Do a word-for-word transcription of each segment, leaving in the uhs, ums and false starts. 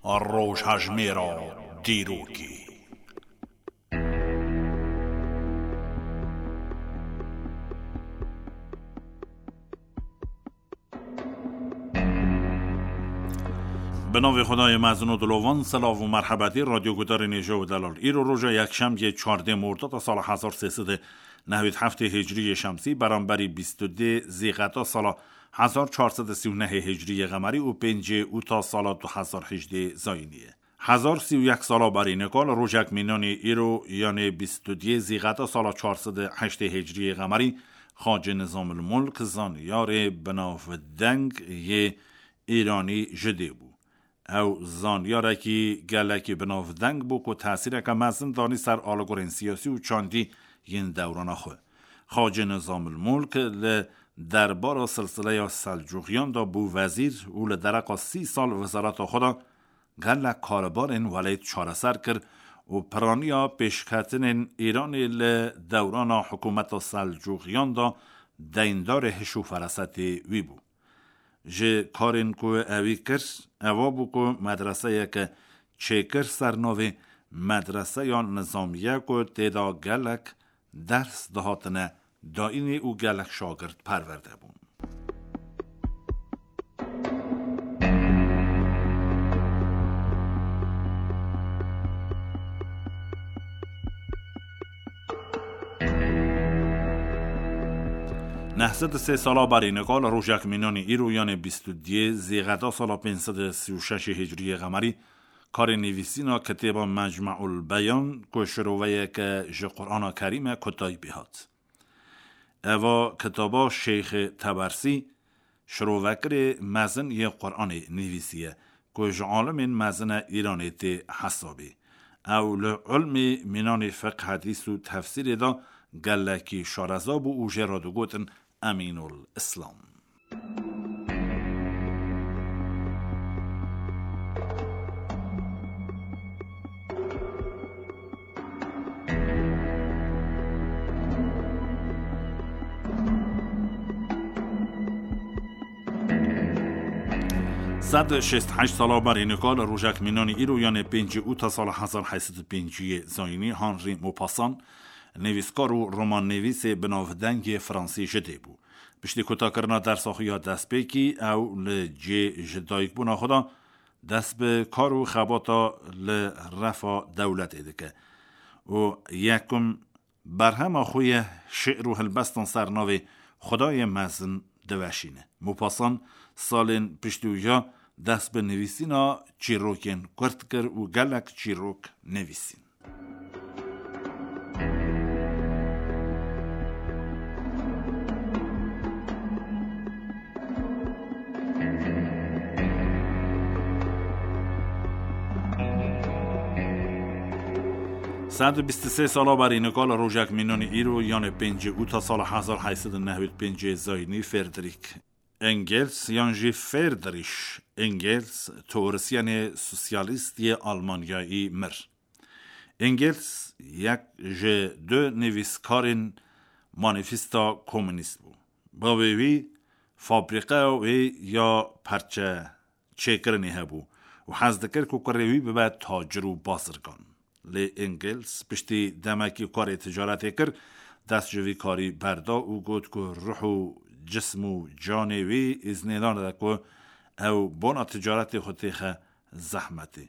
Rojhejmêra dîrokê. Bi navê Xwedayê mezin û dilovan, silav û merhebetî radyo gudarên hêja û delal. Îro roja yekşemiyê çardê Mordada sala hezar sê sed û nehwêd heftê hicriyê şemsî, beramberî bîst û dê Zîqeta sala hezar çar sed û sî û nehê hicriyê qemerî û pêncê Ûta sala du hezar hejdê zayînî ye. Hezar sî û yek sala berî nika li rojek mînanî îro, yanê bîst û duyê Zîqeta sala çar sed û heştê hicriyê qemerî, Xacê Nizamil Mulk zanyarê binavdeng yê Îranî ji dê bû. Ew zanyarekî gelekî binavdeng bû ku tesîreke mezin danî ser alagorên siyasî û çandî yên dewrana xwe. Xacê Nizamil Mulk li derbara silsileya Selcuqiyan de bû wezîr û li dereqa sî sal wezareta xwe de gelek karbarên welêt çareser kir û piraniya pêşketinên Îranê li dewrana hikûmeta Selcuqiyan de deyndarê hiş û ferasetê wî bû. Ji karên ku ewî kir, eva bû ku medreseyeke çêkir ser navê Medreseya Nizamiye ku tê de gelek ders dihatine dayînê û gelek şagirt perwerde bûn. Neh sed û sê sala berî nika li rojek mînanî îro, yanê bîst û duyê Zîqeta sala pênc sed û sî û şeşê hicriyê qemerî, karê nivîsîna kitêba Mecmeul Beyan ku şiroveyeke ji Qur'ana Kerîm e, kutayî pê hat. Eva kitaba Şêxê Tebersî, şirovekirê mezin yê Qur'anê nivîsiye ku ji alimên mezin e Îranê tê hesabê. Ew li ilmê mînanê fiqh, hedîs û tefsîrê de gelekî şareza bû û jê re digotin Emînul Îslam. Sed û şêst û heşt sala berî nika li rojek mînanî îro, yanê pêncî Ûta sala hezar heyt sed û pêncî yê zayînî, Henri Maupassant, nivîskar û romannivîsê binavdeng yê Fransî ji dê bû. Piştî kutakirina dersa xwe ya destpêkî, ew li cihê ji dayikbûna xwe de dest bi kar û xebata li refa dewletê dike û yekum berhema xwe yê şi'r û helbestan ser navê Xwedayê Mezin diweşîne. Maupassant salên piştî wî ya dest bi nivîsîna çîrokên kurt kir û gelek çîrok nivîsîn. Sed û bîst û sê sala berî nika li rojek mînanî îro, yanê pêncê Ûta sala hezar heyt sed û newêd pêncê zayînî, Ferdrîk Engels yan jî Friedrich Engels, teorisyenê sosyalîst yê Almanyayî, mir. Engels yek ji du nivîskarên manîfesta komûnîst bû. Bavê wî fabrîqeya wê ya perçe çêkirinê hebû û hez dikir ku kurê wî bibe tacir û bazirgan. Lê Engels piştî demekî karê ticaretê kir, dest ji vî karî berda û got ku ruh û cism û canê wî îznê nade ku ew bona ticaretê xwe têxe zehmetê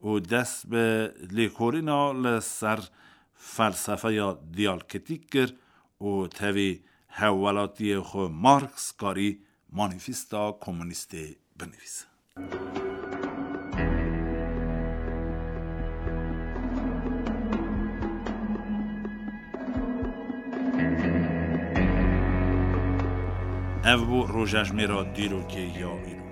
û dest bi lêkolîna li ser felsefeya diyalktîk kir û tevî hevwelatiyê xwe Marx karî manîfesta komûnîstê binivîse. Ev bû rojejmêra dîrokê ya îro.